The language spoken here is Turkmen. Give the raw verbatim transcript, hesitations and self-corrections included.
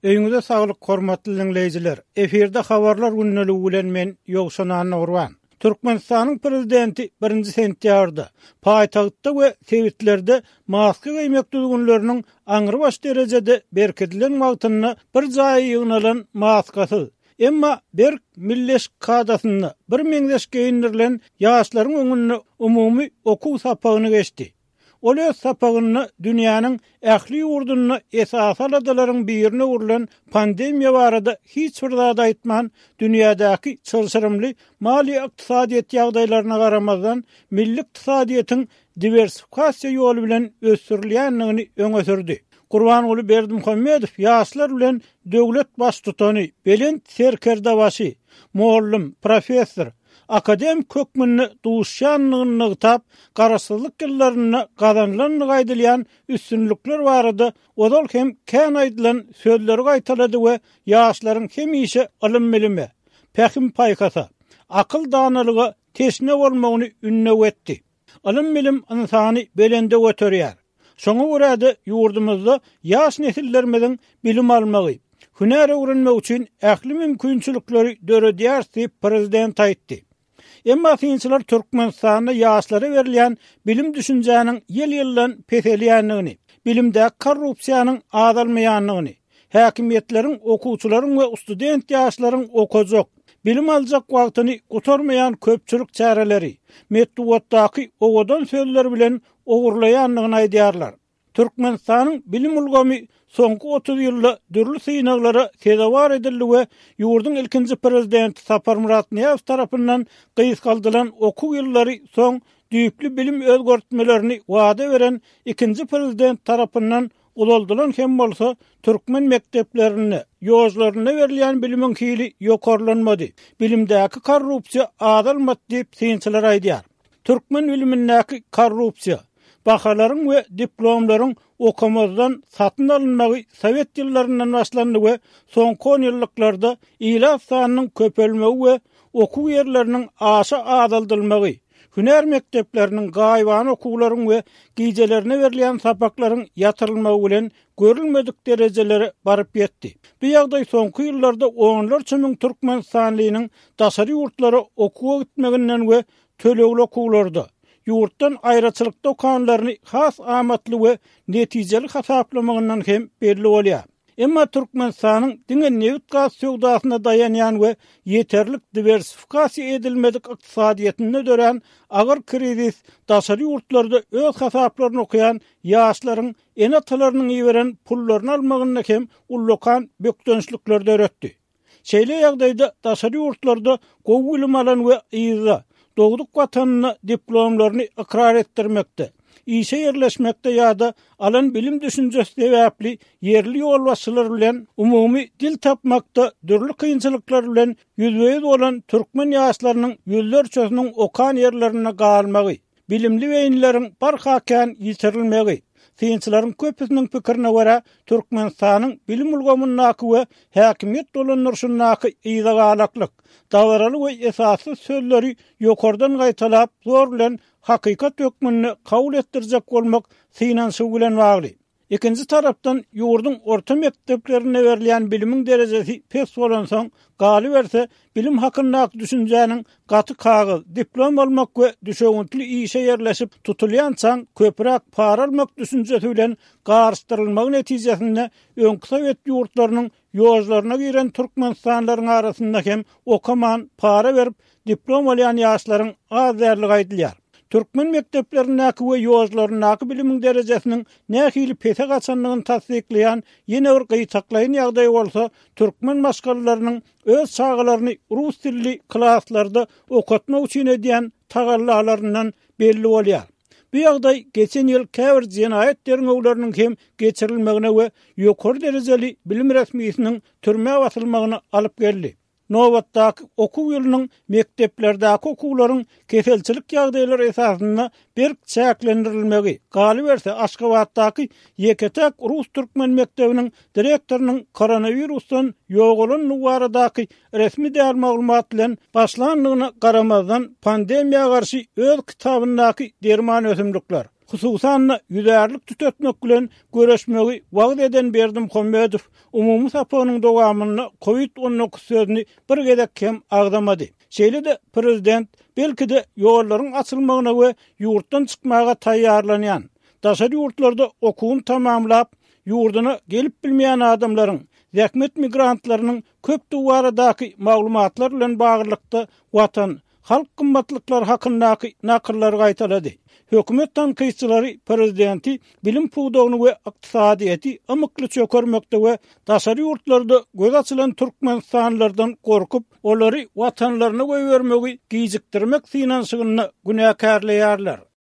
Öýüňize saglyk hormatly dinleýjiler. Efirde habarlar gündeligi bilen men Ýowşan Annagurban. Türkmenistanyň prezidenti birinji sentýabrda paýtagtda we sebitlerde maska geýmek düzgünleriniň aňrybaş derejede berkidilen wagtynda bir jaýa ýygnalan maskasyz, emma berk milleş kadasynda bir meňzeş geýindirilen ýaşlaryň öňünde umumy okuw sapagyny geçdi. Ol öz sapagynda dünýäniň ähli ýurdunda esasy aladalaryň birine öwrülen pandemiýa barada hiç bir zat aýtman, dünýädäki çylşyrymly maliýe ykdysadyýet ýagdaýlaryna garamazdan, milli ykdysadyýetiň diwersifikasiýa ýoly bilen ösdürilýändigini öňe sürdi. Gurbanguly Berdimuhamedow ýaşlar bilen döwlet baştutany, belent serkerdebaşy, mollum, professor, akademik hökmünde duşýanlygyny nygtap, garaşsyzlyk ýyllarynda gazanylandygy aýdylýan üstünlikler barada ozal hem kän aýdylan sözleri gaýtalady we ýaşlaryň hemişe ylym-bilime, pähim-paýhasa, akyl-danalyga teşne bolmagyny ündew etdi. Ylym-bilim ynsany belende göterýär. Şoňa görä-de ýurdumyzda ýaş nesillerimiziň bilim almagy, hünär öwrenmegi üçin ähli mümkinçilikleri döredýäris diýip, prezident aýtdy. Emma synçylar Türkmenistanda ýaşlara berilýän bilim-düşünjäniň ýyl-ýyldan peselýändigini, bilimdäki korrupsiýanyň azalmaýandygyny, häkimiýetleriň okuwçylaryň we student ýaşlaryň okajak, bilim aljak wagtyny gutarmaýan köpçülik çäreleri, metbugatdaky owadan sözler bilen ogurlaýandygyny aýdýarlar. Türkmenistanyň bilim ulgamy soňky otuz ýylda dürli synaglara sezewar edildi we ýurduň ilkinji prezidenti Saparmyrat Nyýazow tarapyndan gysgaldylan okuw ýyllary soň düýpli bilim özgertmelerini wada beren ikinji prezident tarapyndan uzaldylan hem bolsa, türkmen mekdeplerinde, ýožlarynda berilýän bilimiň hili ýokarlanmady, bilimdäki korrupsiýa azalmady diýip, synçylar aýdýar. Türkmen bilimindäki korrupsiýa, bahalaryň we diplomlaryň okamazdan satyn alynmagy sowet ýyllaryndan başlandy we soňky onýyllyklarda ilat sanynyň köpelmegi we okuw ýerleriniň aşa azaldylmagy, hünär mekdepleriniň, gaýybana okuwlaryň we gijelerine berilýän sapaklaryň ýatyrylmagy bilen görülmedik derejelere baryp ýetdi. Bu ýagdaý soňky ýyllarda onlarça müň türkmenistanlynyň daşary ýurtlara okuwa gitmeginden we tölegli okuwlarda, ýurtdan aýraçylykda okanlaryny has amatly we netijeli hasaplamagyndan hem belli bolýar. Emma Türkmenistanyň diňe nebit-gaz söwdasyna daýanýan we ýeterlik diwersifikasiýa edilmedik ykdysadyýetinde dörän agyr krizis daşary ýurtlarda öz hasaplaryny okaýan ýaşlaryň ene-atalarynyň iberen pullaryny almagynda hem ullakan bökdençlikler döretdi. Şeýle ýagdaýda daşary ýurtlarda gowy bilim alan we yzda, dogduk watanynda diplomlaryny ykrar etdirmekde, işe ýerleşmekde ýa-da alan bilim-düşünjesi sebäpli ýerli ýolbaşçylar bilen umumy dil tapmakda dürli kynçylyklar bilen ýüzbe-ýüz bolan türkmen ýaşlarynyň ýüzlerçesiniň okan ýerlerinde galmagy, bilimli beýnileriň barha kän ýitirilmegi, synçylaryň köpüsiniň pikirine görä, Türkmenistanyň bilim ulgamyndaky we häkimiýet dolandyryşyndaky yzagalaklyk, dabaraly we esassyz sözleri ýokardan gaýtalap, zor bilen hakykat hökmünde kabul etdirjek bolmak synanyşygy bilen bagly. Ikinji tarapdan, ýurduň orta mekdeplerinde berilýän bilimiň derejesi pes bolansoň, galyberse, bilim hakyndaky düşünjäniň gaty kagyz, diplom almak we düşewüntli işe ýerleşip, tutulýançaň köpräk para almak düşünjesi bilen garyşdyrylmagy netijesinde öňki sowet ýurtlarynyň ýožlaryna giren türkmenistanlylaryň arasynda hem okaman, para berip, diplom alýan ýaşlaryň az däldigi aýdylýar. Türkmen mekdeplerindäki we ýožlaryndaky bilimiň derejesiniň nähili pese gaçandygyny tassyklaýan ýene bir gytaklaýyn ýagdaý bolsa, türkmen maşgalalarynyň öz çagalaryny rus dilli klaslarda okatmak üçin edýän tagallalaryndan belli bolýar. Bu ýagdaý geçen ýyl käbir jenaýat derňewleriniň hem geçirilmegine we ýokary derejeli bilim resmisiniň türmä basylmagyna alyp geldi. Nobatdaky okuw ýylynyň mekdeplerdäki okuwlaryň keselçilik ýagdaýlary esasynda berk çäklendirilmegi, galyberse, Aşgabatdaky ýeke-täk rus-türkmen mekdebiniň direktorynyň koronawirusdan ýogalandygy baradaky resmi däl maglumat bilen başlandygyna garamazdan, pandemiýa garşy öz kitabyndaky derman ösümlikler, Hususan-da, ýüzärlik tütetmek bilen göreşmegi wagyz eden Berdimuhamedow umumy sapagynyň dowamynda Covid on dokuz sözüni bir gezek hem agzamady. Şeýle-de prezident belki-de ýollaryň açylmagyna we ýurtdan çykmaga taýýarlanýan, daşary ýurtlarda okuwyny tamamlap, ýurduna gelip bilmeýän adamlaryň, zähmet migrantlarynyň köpdügi baradaky maglumatlar bilen baglylykda watan, halk gymmatlyklary hakyndaky nakyllary gaýtalady. Hökümet tankytçylary prezidenti bilim pudagyny we ykdysadyýeti ymykly çökermekde we daşary ýurtlarda göz açylan türkmenistanlylardan gorkup, olary watanlaryna goýbermegi gijikdirmek synanyşygynda günäkärleýärler.